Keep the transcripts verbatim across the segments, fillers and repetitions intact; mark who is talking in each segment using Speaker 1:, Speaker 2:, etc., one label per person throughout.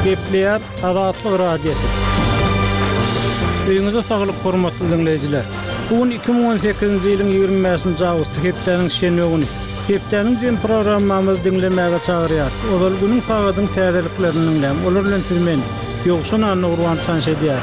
Speaker 1: Gepleýär Azatlyk Radiosy. Öýüňize saglyk hormatly diňleýjiler. Bu gün iki müň on sekizinji ýylyň ýigrimi bäşinji awgusty hepdäniň şenbe güni. Hepdäniň jem programmamyzy diňlemäge çagyrýarys. Ozal günüň sagadyň täzeliklerini diňläň. Olar bilen siz men Ýowşan Annagurban tanyş edýär.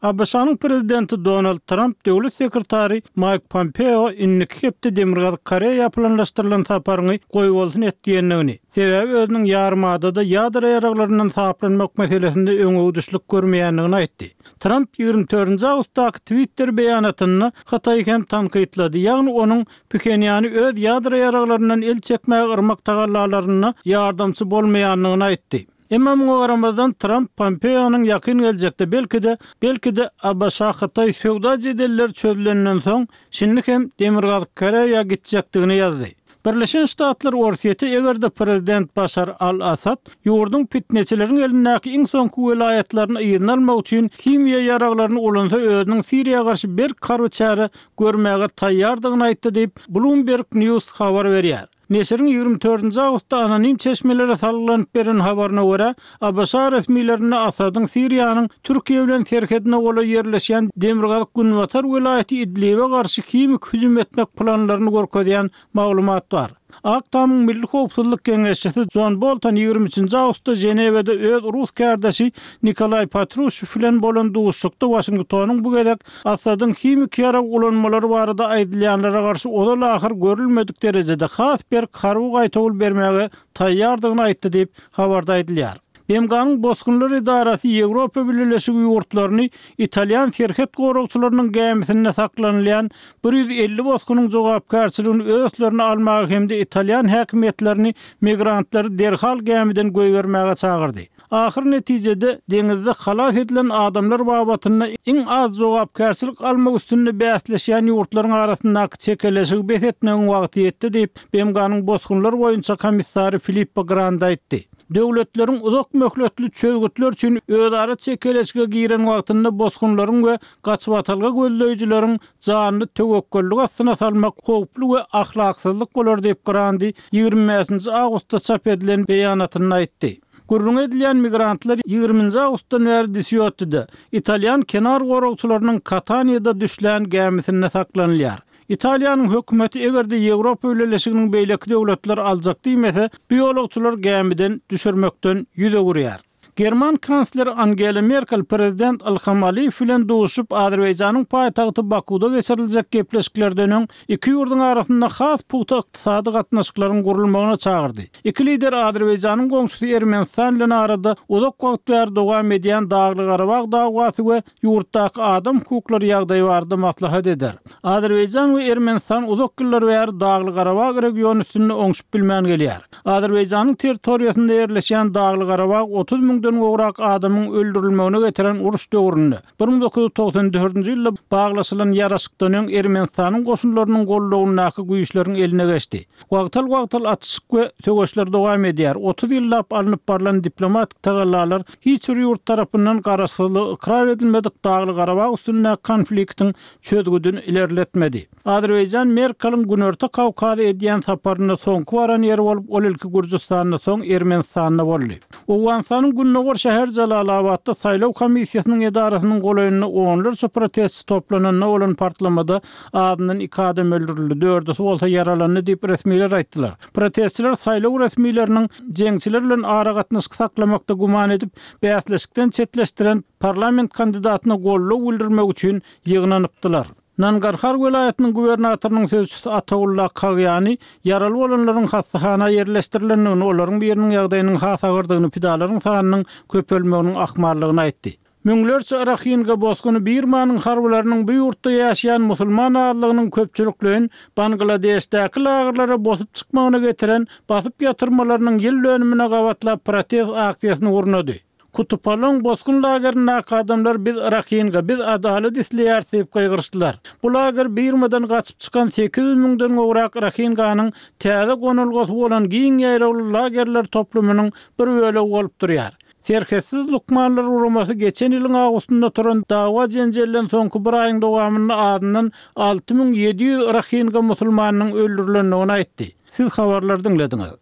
Speaker 1: A B Ş-nyň prezidenti Donald Tramp döwlet sekretary Mike Pompeo indiki hepde Demirgazyk Koreýa planlaşdyrylan saparyny goýbolsun et diýendigini, sebäbi özüniň ýarymadada ýadro ýaraglaryndan saplanmak meselesinde öňegidişlik görmeýändigini aýtdy. Tramp ýigrimi dördünji awgustdaky Twitter beýanatynda Hytaýy hem tankytlady, ýagny onuň Phenýany öz ýadro ýaraglaryndan el çekmäge yrmak tagallalarynda ýardamçy bolmaýandygyny aýtdy. Emma muňa garamazdan Tramp Pompeo'nyň ýakyn geljekde belki-de, belki-de A B Ş Hytaý söwda jedelleri çözülenden soň şindi hem Demirgazyk Koreýa gitjekdigini ýazdy. Birleşen Ştatlar Orsýeti eger-de prezident Başar al-Assad ýurduň fitneçileriň elindäki iň soňky welaýatlaryny yzyna almak üçin himiýa ýaraglaryny ulansa özüniň Siriýa garşy berk harby çäre görmäge taýýardygyny aýtdy diýip Bloomberg News habar berýär. Neşiriň ýigrimi dördünji awgustda anonim çeşmelere salgylanyp beren habaryna görä, A B Ş resmilerinde Assadyň Siriýanyň Türkiýe bilen serhedine golaý ýerleşýän Demirgazyk Günbatar welaýaty Idlibe garşy himik hüjüm etmek planlaryny görkezýän maglumat bar. Ak Tamyň Milli Howpsuzlyk Geňeşçisi John Bolton ýigrimi üçünji awgustda Ženewada öz rus kardeşi Nikolay Patrushew bilen bolan duşuşykda Washingtonyň bu gezek Assadyň himik ýarag ulanmalary barada aýdylýanlara garşy ozal ahyr görülmedik derejede has berk harby gaýtawul bermäge taýýardygyny aýtdy diýip habarda aýdylýar. B M G-nyň Bosgunlar edarasy Ýewropa Birleşigi ýurtlaryny İtalyan serhet goragçylarynyň gämisinde saklanylýan bir ýüz elli bosgunyň jogapkärçiligini öz üstlerine almaga hem-de İtalyan häkimiýetlerini migrantlary derhal gämiden goýbermäge çagyrdy. Ahyr netijede deňizde halas edilen adamlar babatynda iň az jogapkärçilik almak üstünde bäsleşýän ýurtlaryň arasyndaky çekeleşigi bes etmegiň wagty ýetdi diýip B M G-nyň Bosgunlar boýunça komissary Filippo Grandi aýtdy. Döwletleriň uzak möhletli çözgütler üçin özara çekeleşige giren wagtynda bosgunlaryň we gaçybatalga gözleýjileriň janyny töwekgellik astyna salmak howply we ahlaksyzlyk bolar diýip Grandi ýigrimi bäşinji awgustda çap edilen beýanatynda aýtdy. Gürrüň edilýän migrantlar ýigriminji awgustdan bäri Disiotti'de İtalyan kenar goragçylarynyň Kataniýada düşlän gämisinde saklanylýar. İtaliýanyň hökümeti eger-de Ýewropa Birleşiginiň beýleki döwletler aljak diýmese, bu ýolagçylar gämiden düşürmekden ýüz öwürýär. German kansleri Angela Merkel prezident Ilham Aliýew bilen duşup Azerbaýjanyň paýtagty Bakuda geçiriljek gepleşiklerden öň iki ýurduň arasynda has pugta ykdysady gatnaşyklaryň gurulmagyna çagyrdy. Iki lider Azerbaýjanyň goňşusy Ermenistan bilen arada uzak wagt bäri dowam edýän Dagly-Garabag dawasy we ýurtdaky adam hukuklary ýagdaýy barada maslahat eder. Azerbaýjan we Ermenistan uzak ýyllar bäri Dagly-Garabag regiony üstünde oňşup bilmän gelýär. Azerbaýjanyň territoriýasynda ýerleşýän Dagly-Garabag otuz müňden gowrak adamyň öldürilmegine getiren uruş döwründe bir müň dokuz ýüz togsan dördünji ýylda baglaşylan ýaraşykdan öň Ermenistanyň goşunlarynyň gollagyndaky güýçleriň eline geçdi. Wagtal-wagtal atyşyk we söweşler dowam edýär. Otuz ýyllap alnyp barylan diplomatik tagallalar hiç bir ýurt tarapyndan garaşsyzlygy ykrar edilmedik Dagly-Garabag üstündäki konfliktiň çözgüdini ilerletmedi. Azerbaýjan Merkel'iň Günorta Kawkazy edýän saparynda soňky baran ýeri bolup, ol ilki Gürjüstanda, soň Ermenistanda boldy. Owganystanyň Gündogar şäher Jalalabatda saýlaw komissiýasynyň edarasynyň golaýynda onlarça protestçi toplananda bolan partlamada azyndan iki adam öldürildi, dördüsi bolsa ýaralandy diýip resmiler aýtdylar. Protestçiler saýlaw resmileriniň jeňçiler bilen aragatnaşyk saklamakda güman edip, bäsleşikden çetleşdiren parlament kandidatyna goldaw bildirmek üçin ýygnanypdylar. Nangarhar welaýatynyň gubernatorynyň sözçüsi Ataullah Kagýani ýaraly bolanlaryň hassahana ýerleşdirilendigini, olaryň biriniň ýagdaýynyň has agyrdygyny, pidalaryň sanynyň köpelmeginiň ahmallygyny aýtdy. Müňlerçe Rohingya bosguny Birmanyň harbylarynyň bu ýurtda ýaşaýan musulman azlygynyň köpçülikleýin Bangladeşdäki lagerlere bosup çykmagyna getiren basyp ýatyrmalarynyň ýyl dönümine gabatlap protest aksiýasyny gurnady. Kutupalong bosgun lagerindäki adamlar biz Rohingya, biz adalat isleýäris diýip gygyrşdylar. Bu lager Birmadan gaçyp çykan sekiz ýüz müňden gowrak Rohinganyň täze gonalgasy bolan giň ýaýrawly lagerler toplumynyň bir bölegi bolup durýar. Serhetsiz lukmanlar guramasy geçen ýylyň awgustynda turan dawa jenjelinden soňky bir aýyň dowamynda azyndan alty müň ýedi ýüz Rohingya musulmanynyň öldürilendigini aýtdy. Siz habarlar diňlediňiz.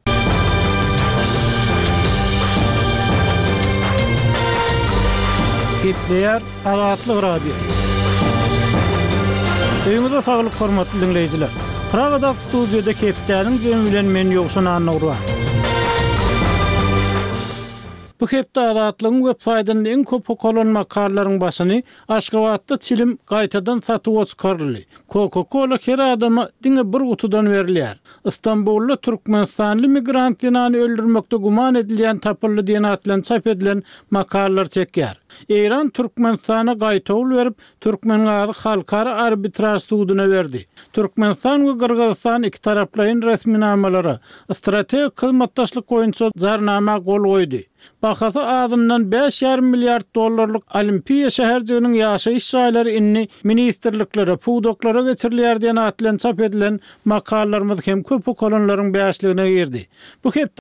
Speaker 1: Gepleýär Azatlyk Radiosy. Öýüňize saglyk hormatly diňleýjiler. Pragadaky studiýada hepdäniň jemi bilen men Ýowşan Annagurban. Bu hepde Azatlygyň web saýtynda iň köp okalan makalalaryň başyny Aşgabatda çilim gaýtadan satuwa çykaryldy. Coca-Cola her adama diňe bir gutudan berilýär. Istanbulda Türkmenistanly migrant zenany öldürmekde güman edilýän tapyldy diýen at bilen çap edilen makalalar çekýär. Eýran Türkmenistana gaýtawul berip, Türkmengazy halkara arbitraž suduna berdi. Türkmenistan we Gyrgyzystan iki taraplaýyn resminamalara strategik hyzmatdaşlyk boýunça jarnama gol goýdy. Bahasy azyndan bäş ýarym milliard dollarlyk Olimpiýa şäherjiginiň ýaşaýyş jaýlary indi ministrliklere, pudaklara geçirilýär diýen at bilen çap edilen makalalarymyz hem köp okalanlaryň bäşligine girdi. Bu hepde